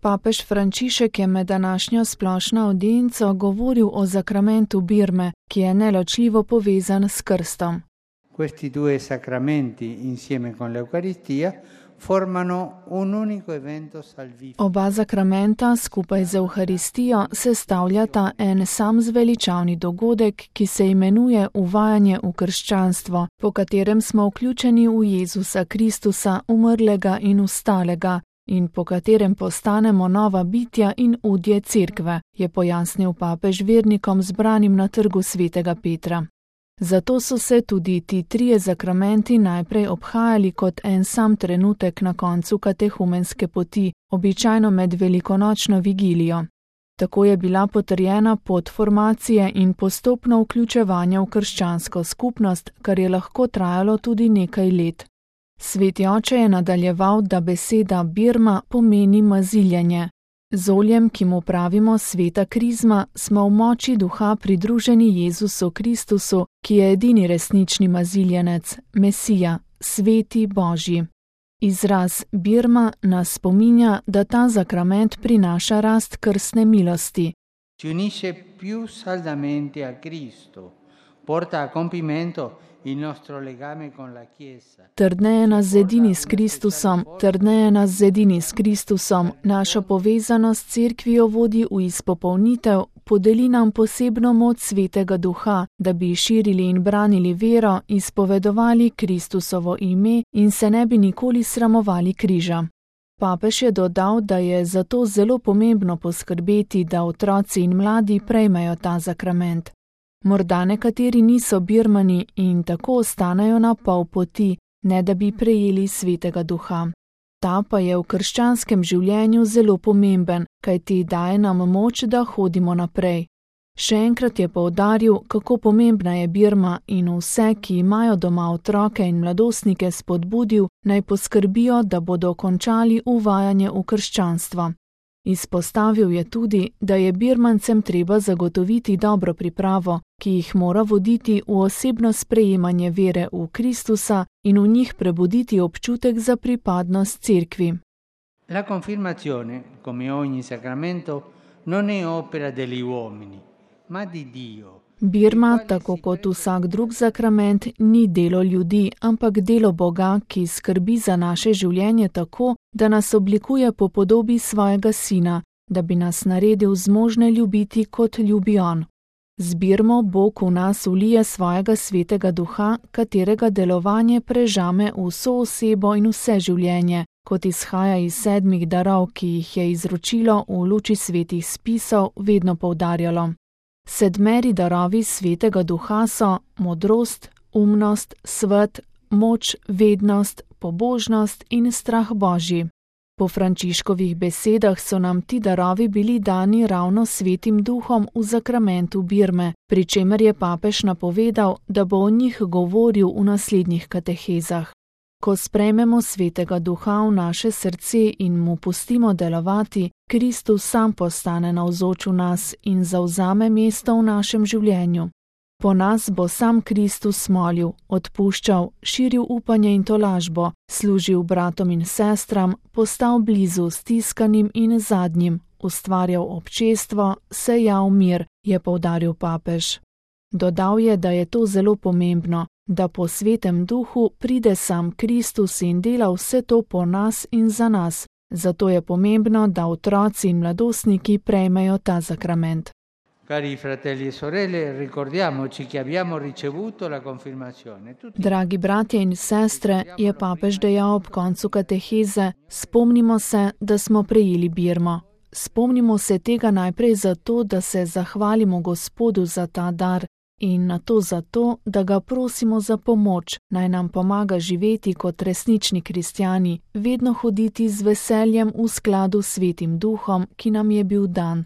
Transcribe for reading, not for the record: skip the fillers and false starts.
Papež Frančišek je med današnjo splošno avdienco govoril o zakramentu birme, ki je neločljivo povezan s krstom. Questi due sacramenti, insieme con l'Eucaristia, formano un unico evento salvifico. Oba zakramenta skupaj z Evharistijo sestavljata en sam zveličavni dogodek, ki se imenuje uvajanje v krščanstvo, po katerem smo vključeni v Jezusa Kristusa, umrlega in vstalega, in po katerem postanemo nova bitja in udje cerkve, je pojasnil papež vernikom zbranim na trgu svetega Petra. Zato so se tudi ti trije zakramenti najprej obhajali kot en sam trenutek na koncu katehumenske poti, običajno med velikonočno vigilijo. Tako je bila potrjena pot formacije in postopno vključevanje v krščansko skupnost, kar je lahko trajalo tudi nekaj let. Sveti oče je nadaljeval, da beseda birma pomeni maziljenje. Z oljem, ki mu pravimo sveta krizma, smo v moči duha pridruženi Jezusu Kristusu, ki je edini resnični maziljenec, Mesija, sveti Božji. Izraz birma nas spominja, da ta zakrament prinaša rast krstne milosti. Ci unisce più saldamente a Cristo, porta a compimento il nostro legame con la Chiesa. Trdneje nas zedini s Kristusom, našo povezanost s cerkvijo vodi v izpopolnitev, podeli nam posebno moč svetega duha, da bi širili in branili vero, izpovedovali Kristusovo ime in se ne bi nikoli sramovali križa. Papež je dodal, da je zato zelo pomembno poskrbeti, da otroci in mladi prejmejo ta zakrament. Morda nekateri niso birmani in tako ostanejo na pol poti, ne da bi prejeli svetega duha. Ta pa je v krščanskem življenju zelo pomemben, kajti daje nam moč, da hodimo naprej. Še enkrat je poudaril, kako pomembna je birma in vse, ki imajo doma otroke in mladostnike, spodbudil, naj poskrbijo, da bodo končali uvajanje v krščanstvo. Izpostavil je tudi, da je birmancem treba zagotoviti dobro pripravo, ki jih mora voditi v osebno sprejemanje vere v Kristusa in v njih prebuditi občutek za pripadnost cerkvi. La confermazione, come ogni sacramento, non è opera degli uomini, ma di Dio. Birma, tako kot vsak drug zakrament, ni delo ljudi, ampak delo Boga, ki skrbi za naše življenje tako, da nas oblikuje po podobi svojega sina, da bi nas naredil zmožne ljubiti, kot ljubi on. Z birmo Bog v nas vlije svojega svetega duha, katerega delovanje prežame vso osebo in vse življenje, kot izhaja iz 7 darov, ki jih je izročilo v luči svetih spisov vedno poudarjalo. 7 darovi svetega duha so modrost, umnost, svet, moč, vednost, pobožnost in strah Božji. Po Frančiškovih besedah so nam ti darovi bili dani ravno svetim duhom v zakramentu birme, pri čemer je papež napovedal, da bo o njih govoril v naslednjih katehezah. Ko sprejmemo svetega duha v naše srce in mu pustimo delovati, Kristus sam postane navzoč v nas in zavzame mesto v našem življenju. Po nas bo sam Kristus molil, odpuščal, širil upanje in tolažbo, služil bratom in sestram, postal blizu stiskanim in zadnjim, ustvarjal občestvo, sejal mir, je poudaril papež. Dodal je, da je to zelo pomembno, da po svetem duhu pride sam Kristus in dela vse to po nas in za nas. Zato je pomembno, da otroci in mladostniki prejmejo ta zakrament. Cari fratelli e sorelle, ricordiamoci che abbiamo ricevuto la confermazione. Dragi bratje in sestre, je papež dejal ob koncu kateheze, spomnimo se, da smo prejeli birmo. Spomnimo se tega najprej zato, da se zahvalimo Gospodu za ta dar in nato zato, da ga prosimo za pomoč, naj nam pomaga živeti kot resnični kristjani, vedno hoditi z veseljem v skladu s svetim duhom, ki nam je bil dan,